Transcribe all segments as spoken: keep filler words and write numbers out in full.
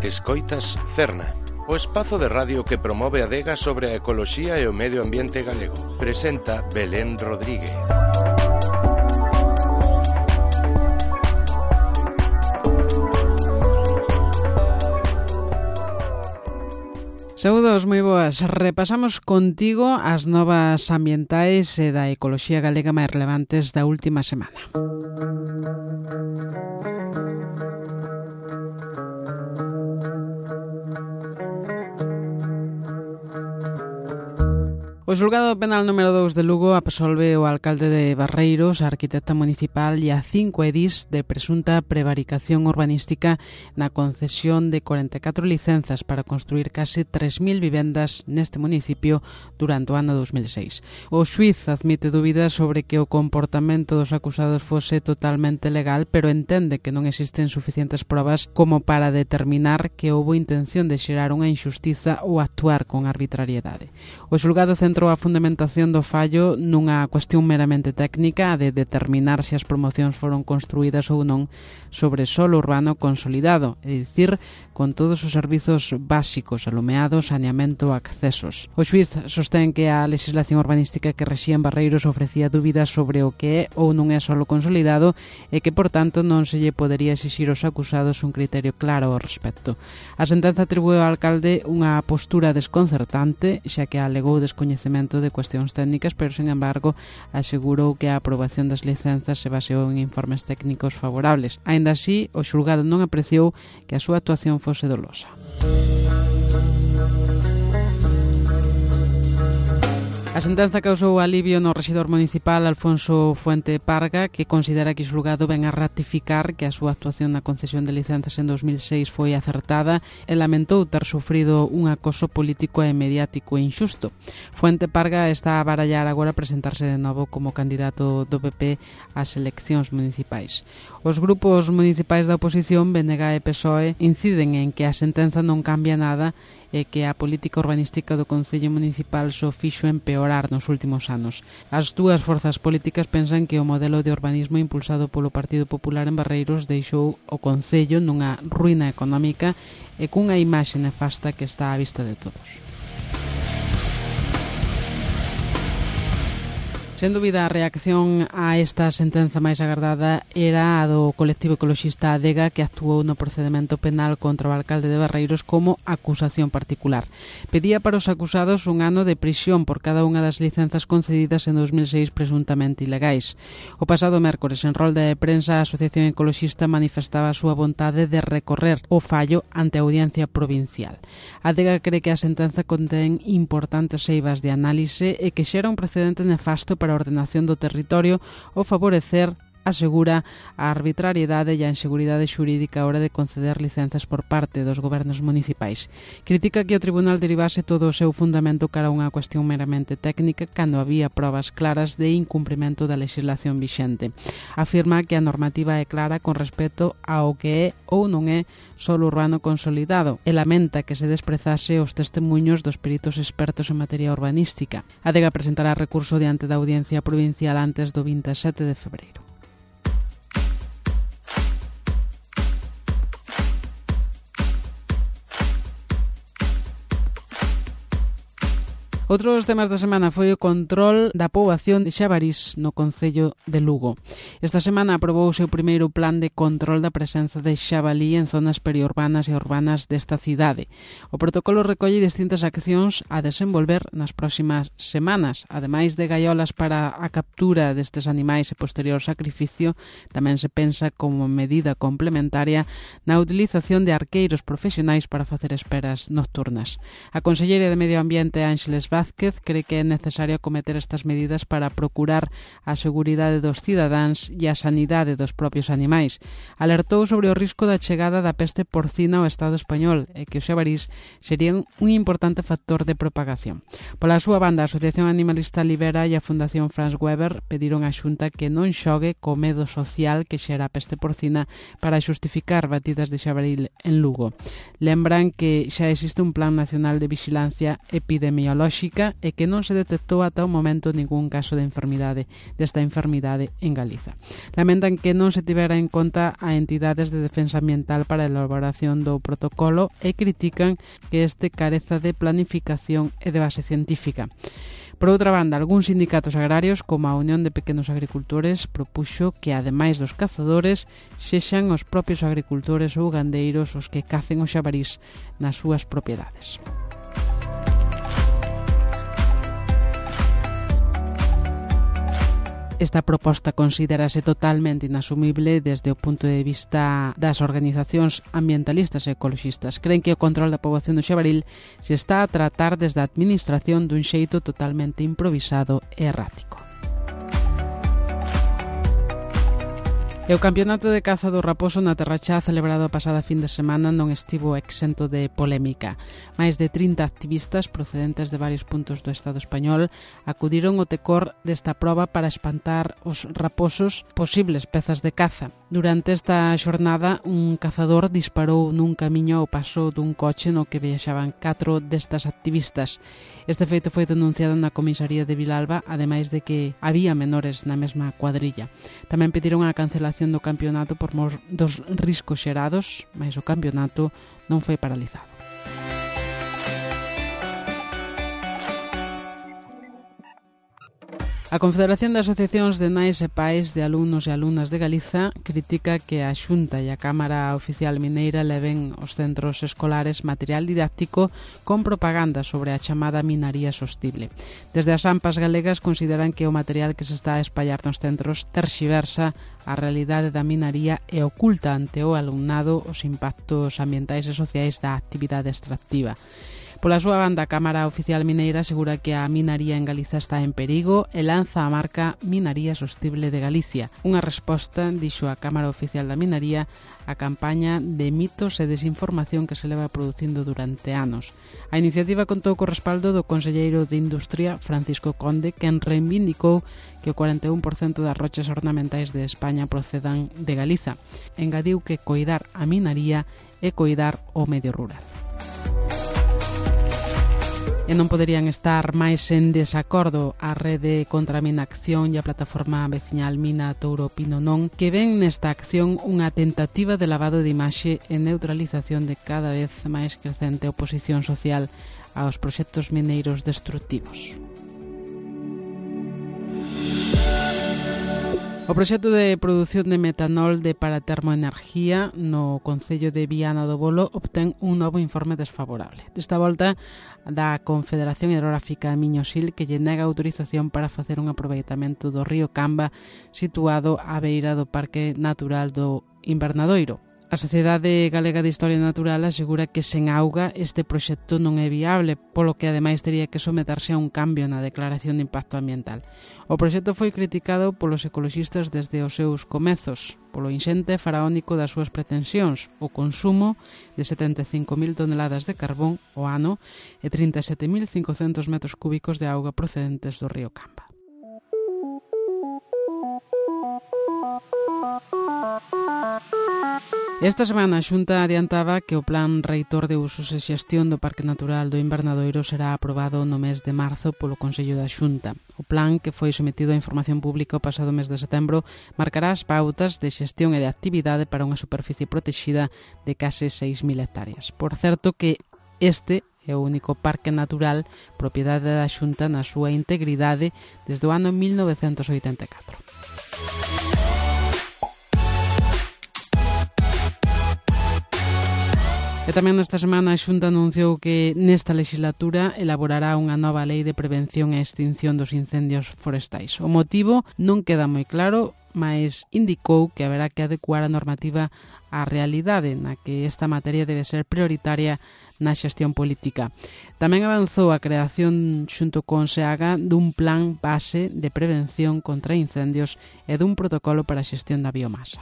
Escoitas Cerna, o espazo de radio que promove a adega sobre a ecoloxía e o medio ambiente galego. Presenta Belén Rodríguez. Saúdos, moi boas. Repasamos contigo as novas ambientais e da ecoloxía galega máis relevantes da última semana. O xulgado penal número dous de Lugo absolve o alcalde de Barreiros, a arquitecta municipal e a cinco edís de presunta prevaricación urbanística na concesión de corenta e catro licenzas para construir case tres mil vivendas neste municipio durante o ano dos mil seis. O xuíz admite dúbidas sobre que o comportamento dos acusados fose totalmente legal, pero entende que non existen suficientes probas como para determinar que houbo intención de xerar unha injustiza ou actuar con arbitrariedade. O xulgado centrou a fundamentación do fallo nunha cuestión meramente técnica de determinar se as promocións foron construídas ou non sobre solo urbano consolidado, é dicir, con todos os servizos básicos, alumeado, saneamento, accesos. O xuíz sostén que a legislación urbanística que rexía en Barreiros ofrecía dúbidas sobre o que é ou non é solo consolidado e que, por tanto, non se lle podería exixir aos acusados un criterio claro ao respecto. A sentenza atribúe ao alcalde unha postura desconcertante, xa que alegou descoñecemento de cuestións técnicas, pero, sin embargo, asegurou que a aprobación das licenzas se baseou en informes técnicos favorables. Aínda así, o xulgado non apreciou que a súa actuación fose dolosa. A sentenza causou alivio no rexidor municipal Alfonso Fuente Parga, que considera que o xulgado ven a ratificar que a súa actuación na concesión de licenzas en dos mil seis foi acertada e lamentou ter sufrido un acoso político e mediático injusto. Fuente Parga está a barallar agora presentarse de novo como candidato do P P ás eleccións municipais. Os grupos municipais da oposición, B N G e P S O E, inciden en que a sentenza non cambia nada e que a política urbanística do Concello Municipal só fixo empeorar nos últimos anos. As dúas forzas políticas pensan que o modelo de urbanismo impulsado polo Partido Popular en Barreiros deixou o Concello nunha ruína económica e cunha imaxe nefasta que está á vista de todos. Sen dúbida, a reacción a esta sentenza máis agardada era a do colectivo ecoloxista Adega, que actuou no procedemento penal contra o alcalde de Barreiros como acusación particular. Pedía para os acusados un ano de prisión por cada unha das licenzas concedidas en dos mil seis presuntamente ilegais. O pasado mércores, en rolda de prensa, a Asociación Ecoloxista manifestaba a súa vontade de recorrer o fallo ante a Audiencia Provincial. Adega cree que a sentenza contén importantes eivas de análise e que xera un precedente nefasto para a ordenación do territorio ou favorecer, asegura, a arbitrariedade e a inseguridade xurídica a hora de conceder licenzas por parte dos gobernos municipais. Critica que o tribunal derivase todo o seu fundamento cara a unha cuestión meramente técnica cando había probas claras de incumprimento da legislación vixente. Afirma que a normativa é clara con respecto ao que é ou non é solo urbano consolidado e lamenta que se desprezase os testemunhos dos peritos expertos en materia urbanística. Adega presentará recurso diante da Audiencia Provincial antes do vinte e sete de febreiro. Outros temas da semana foi o control da poboación de xabarís no Concello de Lugo. Esta semana aprobouse o primeiro plan de control da presenza de xabalí en zonas periurbanas e urbanas desta cidade. O protocolo recolle distintas accións a desenvolver nas próximas semanas. Ademais de gaiolas para a captura destes animais e posterior sacrificio, tamén se pensa como medida complementaria na utilización de arqueiros profesionais para facer esperas nocturnas. A conselleira de Medio Ambiente, Ángeles Vázquez, cree que é necesario acometer estas medidas para procurar a seguridade dos cidadáns e a sanidade dos propios animais. Alertou sobre o risco da chegada da peste porcina ao Estado español e que os xabarís serían un importante factor de propagación. Pola súa banda, a Asociación Animalista Libera e a Fundación Franz Weber pediron á Xunta que non xogue co medo social que xera a peste porcina para xustificar batidas de xabaril en Lugo. Lembran que xa existe un plan nacional de vixilancia epidemiolóxica científica e que non se detectou ata o momento ningún caso de enfermidade desta enfermidade en Galiza. Lamentan que non se tivera en conta a entidades de defensa ambiental para a elaboración do protocolo e critican que este careza de planificación e de base científica. Por outra banda, algúns sindicatos agrarios, como a Unión de Pequenos Agricultores, propuxo que, ademais dos cazadores, sexan os propios agricultores ou gandeiros os que cacen os xabarís nas súas propiedades. Esta proposta considérase totalmente inasumible desde o punto de vista das organizacións ambientalistas e ecoloxistas. Creen que o control da poboación do xabaril se está a tratar desde a administración dun xeito totalmente improvisado e errático. E o Campeonato de Caza do Raposo na Terrachá celebrado a pasada fin de semana non estivo exento de polémica. Mais de trinta activistas procedentes de varios puntos do Estado español acudiron ao tecor desta proba para espantar os raposos, posibles pezas de caza. Durante esta xornada, un cazador disparou nun camiño ao paso dun coche no que viaxaban catro destas activistas. Este feito foi denunciado na comisaría de Vilalba, ademais de que había menores na mesma cuadrilla. Tamén pediron a cancelación do campeonato por mor dos riscos xerados, mas o campeonato non foi paralizado. A Confederación de Asociacións de Nais e Pais de Alumnos e Alumnas de Galiza critica que a Xunta e a Cámara Oficial Mineira leven aos centros escolares material didáctico con propaganda sobre a chamada minaría sostible. Desde as AMPAs galegas consideran que o material que se está a espallar nos centros terxiversa a realidade da minaría e oculta ante o alumnado os impactos ambientais e sociais da actividade extractiva. Pola súa banda, a Cámara Oficial Mineira asegura que a minaría en Galiza está en perigo e lanza a marca Minaría Sostible de Galicia. Unha resposta, dixo a Cámara Oficial da Minaría, a campaña de mitos e desinformación que se leva producindo durante anos. A iniciativa contou co respaldo do conselleiro de Industria, Francisco Conde, quen reivindicou que o cuarenta e un por cento das rochas ornamentais de España procedan de Galiza. Engadiu que coidar a minaría é coidar o medio rural. E non poderían estar máis en desacordo a Rede contra a Mina Acción e a plataforma veciñal Mina Touro Pino Non, que ven nesta acción unha tentativa de lavado de imaxe e neutralización de cada vez máis crecente oposición social aos proxectos mineiros destructivos. O proxecto de produción de metanol de para termoenergía no Concello de Viana do Bolo obtén un novo informe desfavorable. Desta volta, da Confederación Hidrográfica Miño-Sil, que lle nega autorización para facer un aproveitamento do río Camba situado á beira do Parque Natural do Invernadoiro. A Sociedade Galega de Historia Natural asegura que sen auga este proxecto non é viable, polo que ademais tería que someterse a un cambio na declaración de impacto ambiental. O proxecto foi criticado polos ecoloxistas desde os seus comezos, polo inxente faraónico das súas pretensións, o consumo de setenta e cinco mil toneladas de carbón ao ano e trinta e sete mil cincocentos metros cúbicos de auga procedentes do río Camba. Esta semana a Xunta adiantaba que o Plan Reitor de Usos e Xestión do Parque Natural do Invernadoiro será aprobado no mes de marzo polo Consello da Xunta. O plan, que foi sometido a información pública o pasado mes de setembro, marcará as pautas de xestión e de actividade para unha superficie protexida de case seis mil hectáreas. Por certo que este é o único parque natural propiedade da Xunta na súa integridade desde o ano mil novecentos oitenta e catro. E tamén nesta semana a Xunta anunciou que nesta legislatura elaborará unha nova lei de prevención e extinción dos incendios forestais. O motivo non queda moi claro, mas indicou que haberá que adecuar a normativa á realidade na que esta materia debe ser prioritaria na xestión política. Tamén avanzou a creación xunto con SEAGA dun plan base de prevención contra incendios e dun protocolo para a xestión da biomasa.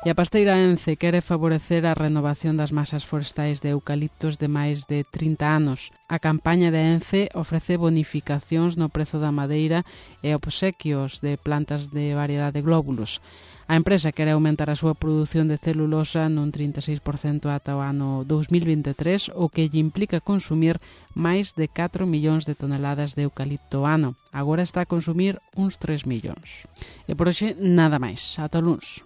E a Pasteira Ence quere favorecer a renovación das masas forestais de eucaliptos de máis de trinta anos. A campaña de Ence ofrece bonificacións no prezo da madeira e obsequios de plantas de variedade de glóbulos. A empresa quere aumentar a súa produción de celulosa nun trinta e seis por cento ata o ano dous mil vinte e tres, o que lle implica consumir máis de catro millóns de toneladas de eucalipto ano. Agora está a consumir uns tres millóns. E por hoxe nada máis. Ata o luns.